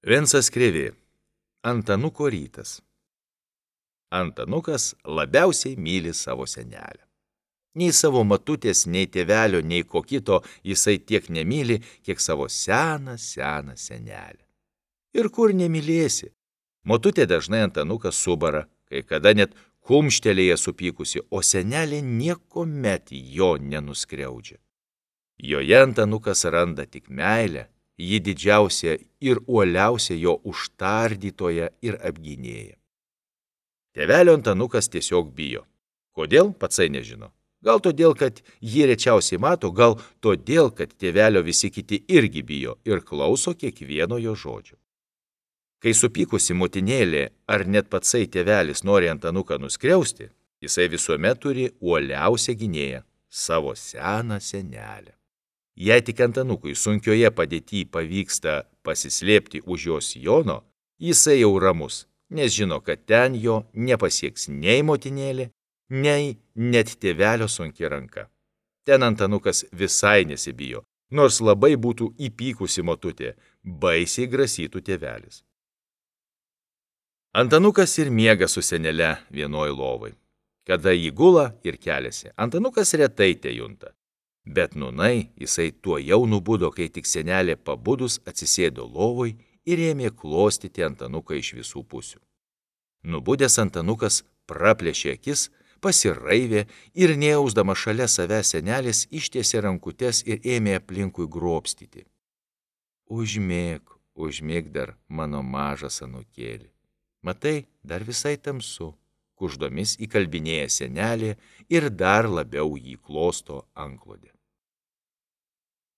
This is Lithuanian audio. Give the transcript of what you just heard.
Vincas Krėvė. Antanuko rytas. Antanukas labiausiai myli savo senelę. Nei savo matutės, nei tėvelio, nei ko kito jisai tiek nemyli, kiek savo seną senelę. Ir kur nemylėsi? Motutė dažnai Antanuką subara, kai kada net kumštelėje supykusi, o senelė niekuomet jo nenuskriaudžia. Joje Antanukas randa tik meilę, ji didžiausia ir uoliausia jo užtardytoja ir apgynėja. Tėvelio Antanukas tiesiog bijo. Kodėl, patsai nežino. Gal todėl, kad jį rečiausiai mato, gal todėl, kad tėvelio visi kiti irgi bijo ir klauso kiekvieno jo žodžio. Kai supykusi motinėlė ar net patsai tėvelis nori Antanuką nuskriausti, jisai visuomet turi uoliausią gynėją – savo seną senelę. Jei tik Antanukui sunkioje padėtyje pavyksta pasislėpti už jos sijono, jisai jau ramus, nes žino, kad ten jo nepasieks nei motinėlė, nei net tėvelio sunki ranka. Ten Antanukas visai nesibijo, nors labai būtų įpykusi motutė, baisiai grasytų tėvelis. Antanukas ir miega su senele vienoj lovai. Kada jį gula ir keliasi, Antanukas retai tejunta. Bet nūnai jisai tuojau nubudo, kai tik senelė pabudus atsisėdo lovoj ir ėmė klostyti Antanuką iš visų pusių. Nubudęs Antanukas praplėšė akis, pasiraivė ir nejausdama šalia savęs senelės ištiesė rankutes ir ėmė aplinkui grobstyti. Užmėk dar, mano mažas anūkėli. Matai, dar visai tamsu, kuždomis įkalbinėja senelė ir dar labiau jį klosto antklode.